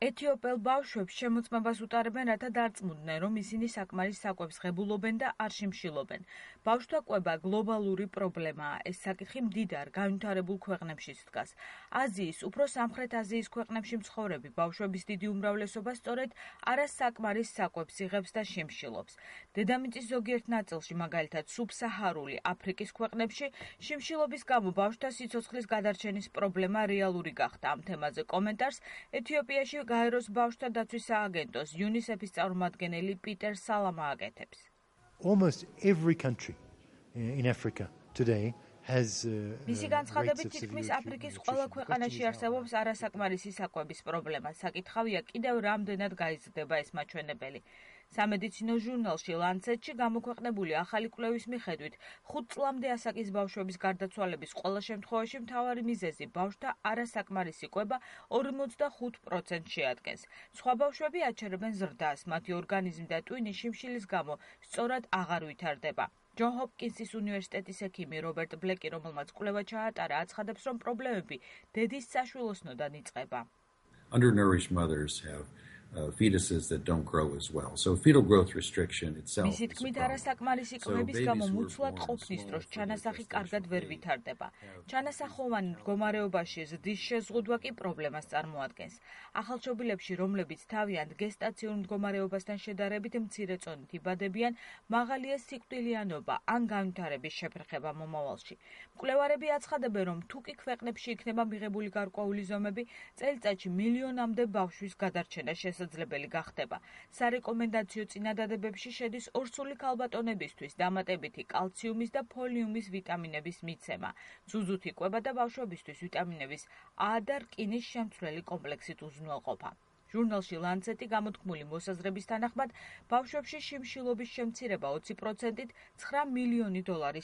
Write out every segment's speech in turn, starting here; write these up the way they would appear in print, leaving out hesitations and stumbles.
ეთიოპელ ბავშვებს შემოწმებას უტარებენ, რათა დარწმუნდნენ, რომ ისინი საკმარის საკვებს ღებულობენ და არ შიმშილობენ. ბავშვთა კვება გლობალური პრობლემაა. ეს საკითხი მდიდარ, განვითარებულ ქვეყნებშიც დგას. აზიის, უფრო სამხრეთ აზიის ქვეყნებში მცხოვრები ბავშვების დიდი უმრავლესობა სწორედ არასაკმარის საკვებს იღებს და შიმშილობს. დედამიწის ზოგიერთ ნაწილში, მაგალითად სუბსაჰარული აფრიკის ქვეყნებში, შიმშილობის გამო ბავშვთა სიცოცხლის გადარჩენის პრობლემა რეალური გახდა. ამ თემაზე კომენტარს ეთიოპიაში გაეროს ბავშვთა დაცვის სააგენტოს UNICEF-ის წარმომადგენელი პიტერ სალამა აკეთებს. Almost every country in Africa today has მისი განცხადებით თითქმის აფრიკის ყველა ქვეყანაში არსებობს არასაკმარისი საკვების პრობლემა. საკითხავია კიდევ რამდენად გაიზრდება ეს მაჩვენებელი. სამედიცინო ჟურნალში Lancet-ში გამოქვეყნებული ახალი კვლევის მიხედვით 5 წლამდე ასაკის ბავშვების გარდაცვალების ყველა შემთხვევაში მთავარი მიზეზი ბავშვთა არასაკმარისი კვება 45% შეადგენს. სხვა ბავშვები აჩერებენ ზრდას, მათი ორგანიზმი და ტვინი შიმშილის გამო სწორად აღარ ვითარდება. ჯონ ჰოპკინსის უნივერსიტეტის ექიმი რობერტ ბლეკი, რომელმაც კვლევა ჩაატარა, აცხადებს, რომ პრობლემები დედის საშვილოსნოდან იწყება. Undernourished mothers have fetuses that don't grow as well. So fetal growth restriction itself. მისი თქმით, არასაკმარისი კვების გამო მუცლად ყოფნის დროს ჩანასახი კარგად ვერ ვითარდება. ჩანასახოვანი მდგომარეობაში ზრდის შეზღუდვა კი პრობლემას წარმოადგენს. ახალშობილებში, რომლებიც თავიანთ გესტაციურ მდგომარეობასთან შედარებით მცირე წონით იბადებიან, მაღალია სიკვდილიანობა ან განვითარების შეფერხება მომავალში. მკვლევარები აცხადებენ, რომ თუკი ქვეყნებში იქნება მიღებული გარკვეული ზომები, წელიწადში მილიონამდე ბავშვის გადარჩენა შესაძლებელი გახდება. სარეკომენდაციო წინადადებებში შედის ორსული ქალბატონებისთვის დამატებითი კალციუმის და ფოლიუმის ვიტამინების მიცემა, ზუზუთი კვება და ბავშვებისთვის ვიტამინების A და რკინის შემცვლელი კომპლექსით უზრუნველყოფა. ჟურნალში Lancet-ი გამოთქმული მოსაზრების თანახმად, ბავშვებში შიმშილობის შემცირება 20%-ით $9 მილიონი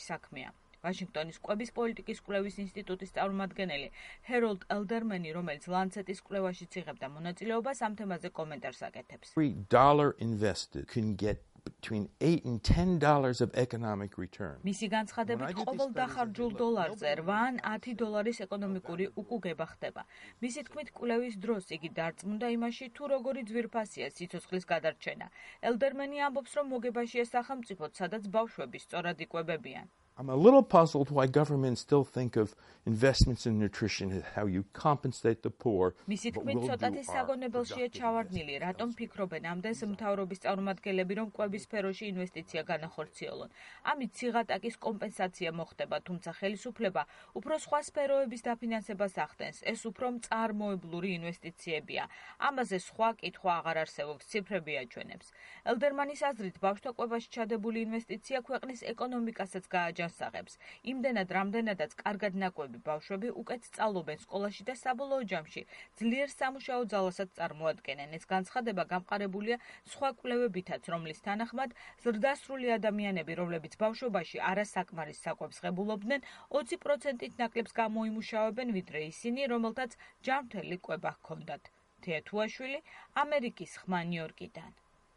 საქმეა. ვაშინგტონის კვების პოლიტიკის კვლევის ინსტიტუტის წარმომადგენელი ჰეროლდ ელდერმენი, რომელიც Lancet-ის კვლევაშიც იღებდა მონაწილეობას, ამ თემაზე კომენტარს აკეთებს. Every dollar invested can get between $8 and $10 of economic return. მისი განცხადებით, ყოველ დახარჯულ დოლარზე 8 ან $10 ეკონომიკური უკუგება ხდება. მისი თქმით, კვლევის დროს იგი დარწმუნდა იმაში, თუ როგორი ძვირფასია სიცოცხლის გადარჩენა. ელდერმენი ამბობს, რომ მოგებაშია სახელმწიფოდ, სადაც ბავშვები სწორად იკვებებიან. I'm a little puzzled why governments still think of investments in nutrition as how you compensate the poor. მისი თქმით, ცოტათი საგონებელშია ჩავარდნილი, რატომ ფიქრობენ ამდენს მთავრობის წარმომადგენლები, რომ კვების სფეროში ინვესტიცია განახორციელონ. ამით ციღატაკის კომპენსაცია მოხდება, თუმცა ხელისუფლება უფრო სხვა სფეროების დაფინანსებას ახდენს. ეს უფრო მწარმოებლური ინვესტიციებია. ამაზე სხვა კითხვა აღარ არსებობს, ციფრები აჩვენებს. ელდერმანის აზრით, ბავშვთა კვებაში ჩადებული ინვესტიცია ქვეყნის ეკონომიკასაც გააჯანსაღებს. იმდენად, რამდენადაც კარგად ნაკვები ბავშვები უკეთ სწავლობენ სკოლაში და საბოლოო ჯამში ძლიერ სამუშაო ძალასაც წარმოადგენენ. ეს განცხადება გამყარებულია სხვა კვლევებითაც, რომლის თანახმად ზრდასრული ადამიანები, რომლებიც ბავშვობაში არასაკმარის საკვებს ღებულობდნენ, 20%-ით ნაკლებს გამოიმუშავებენ, ვიდრე ისინი, რომელთაც ჯანმრთელი კვება ჰქონდათ. თეა თუაშვილი, ამერიკის ხმა, ნიუ-იორკიდან.